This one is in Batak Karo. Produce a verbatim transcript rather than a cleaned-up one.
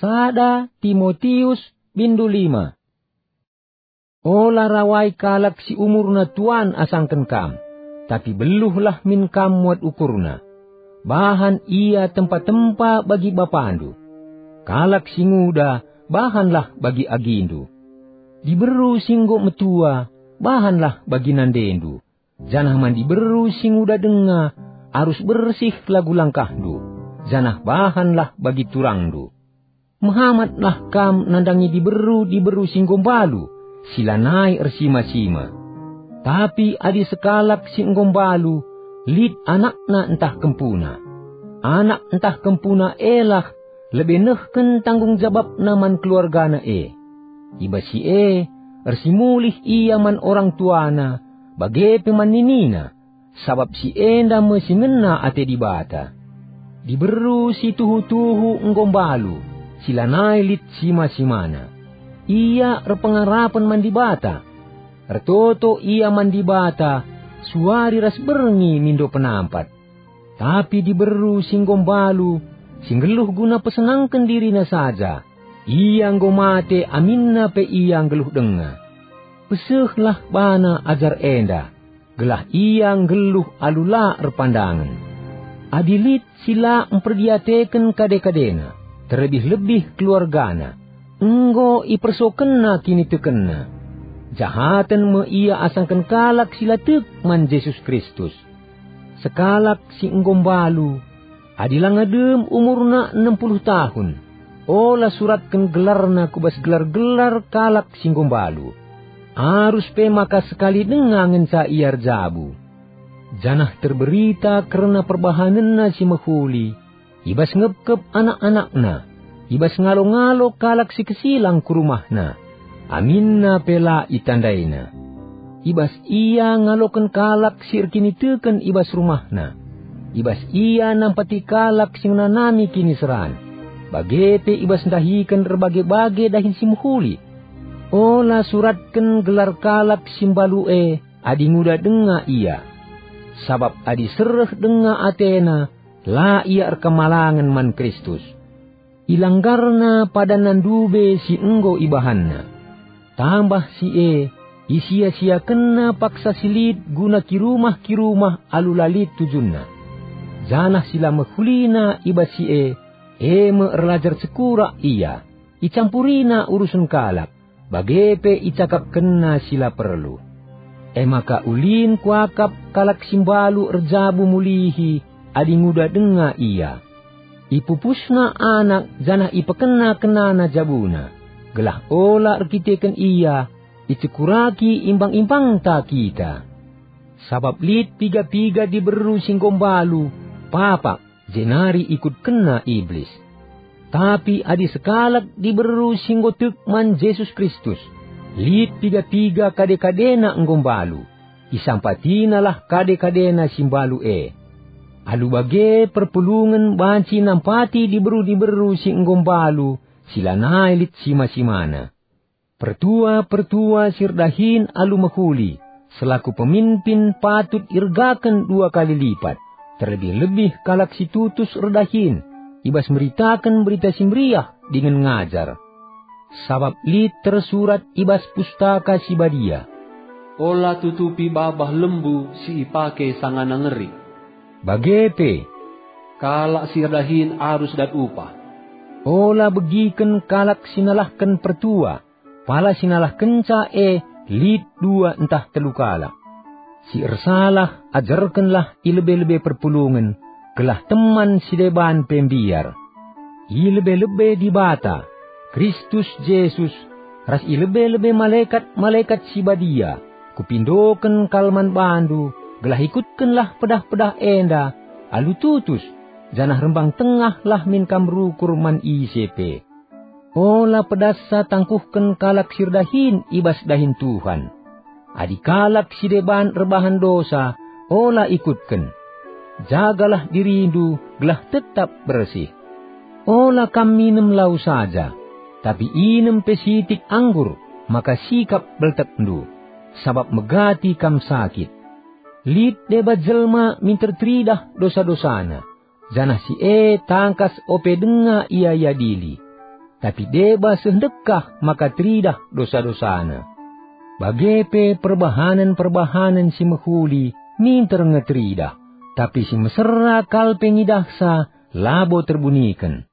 Sada Timotius, bindu lima. Ola rawai kalak si umurna tuan asangken kam, tapi beluhlah min kam muat ukurna. Bahan ia tempa-tempa bagi bapandu. Kalak si nguda, bahanlah bagi agindu. Diberu si enggo metua, bahanlah bagi nandendu. Janah man diberu si nguda denga, arus bersih lagu langkahndu, janah bahanlah bagi turangndu. Mehamatlah kam nandangi diberu-diberu si enggo mbalu, si lanai ersima-sima. Tapi adi sekalak si enggo mbalu, lit anakna ntah kempuna, anak ntah kempuna elah lebe nehken tanggung jabapna man keluargana e. I bas si e, ersimulih ia man orang tuana, bage pe man ninina, sabap si enda me si ngena ate Dibata. Diberu si tuhu-tuhu enggo mbalu, si lanai lit sima-simana. Ia erpengarapen man Dibata. Ertoto ia man Dibata, suari ras berngi mindo penampat. Tapi diberu si enggo mbalu, si nggeluh guna pesenangken dirina saja, ia enggo mate aminna pe ia nggeluh denga. Pesehlah bana ajar enda, gelah ia nggeluh alu la erpandangen. Adi lit si la mperdiateken kade-kadena, terlebih-lebih keluargana, enggo ipersokenna kinitekenna. Jahaten me ia asangken kalak si la tek man Jesus Kristus. Sekalak si enggo mbalu, adi langa dem umurna enem puluh tahun, ola suratken gelarna ku bas gelar-gelar kalak si enggo mbalu. Arus pe maka sekali denga ngenca ia erjabu. Janah terberita kerna perbahanenna si mehuli, i bas ngepkep anak-anakna, i bas ngalo-ngalo kalak si kesilang ku rumahna, aminna pe la itandaina. I bas ia ngaloken kalak si erkiniteken i bas rumahna, i bas ia nampati kalak si ngenanami kiniseran, bage pe i bas ndahiken erbage-bage dahin si mehuli. Ola suratken gelar kalak si mbalu e adi nguda denga ia. Sabap adi sereh denga atena, la ia erkemalangen man Kristus. Ilanggarna padanna ndube si enggo ibahanna. Tambah si e, isia-siakenna paksa si lit guna kirumah-kirumah alu la lit tujunna. Janah si la mehulina i bas si e, e me erlajar cekurak ia, icampurina urusen kalak, bage pe icakapkenna si la perlu. E maka ulin kuakap kalak si mbalu erjabu mulihi adi nguda denga ia. Ipupusna anak janah ipekena-kenana jabuna, gelah ola erkiteken ia icekuraki imbang-imbangta kita. Sabap lit piga-piga diberu si enggo mbalu, papak, jenari ikutkenna Iblis. Tapi adi sekalak diberu si enggo tek man Jesus Kristus, lit piga-piga kade-kadena enggo mbalu, isampatinalah kade-kadena si mbalu e. Alu bage perpulungen banci nampati diberu-diberu si enggo mbalu, si lanai lit sima-simana. Pertua-pertua si erdahin alu mehuli, selaku pemimpin patut iergaken dua kali lipat, terlebih-lebih kalak si tutus erdahin, i bas meritaken Berita Si Meriah dingen ngajar. Sabap lit tersurat i bas Pustaka Si Badia, "Ola tutupi babah lembu si ipake sangana ngeri." Bage pe, "Kalak si erdahin arus dat upah." Ola begiken kalak si nalahken pertua, pala si nalahkenca e lit dua ntah telu kalak. Si ersalah ajarkenlah i lebe-lebe perpulungen, gelah teman si deban pe mbiar. I lebe-lebe Dibata, Kristus Jesus, ras i lebe-lebe malekat-malekat si badia, kupindoken kal man bandu, gelah ikutkenlah pedah-pedah enda alu tutus, janah rembang tengahlah min kam rukur man ise pe. Ola pedassa tangkuhken kalak si erdahin i bas dahin Tuhan. Adi kalak si deban erbahan dosa, ola ikutken. Jagalah dirindu gelah tetap bersih. Ola kam minem lau saja, tapi inem pe sitik anggur, maka sikap beltekndu, sabap megati kam sakit. Lit deba jelma minter teridah dosa-dosana, janah si e tangkas ope denga ia iadili. tapi deba seh ndekah maka teridah dosa-dosana. Bage pe perbahanen-perbahanen si mehuli minter nge teridah, tapi si mesera kal pe ngidahsa labo terbuniken.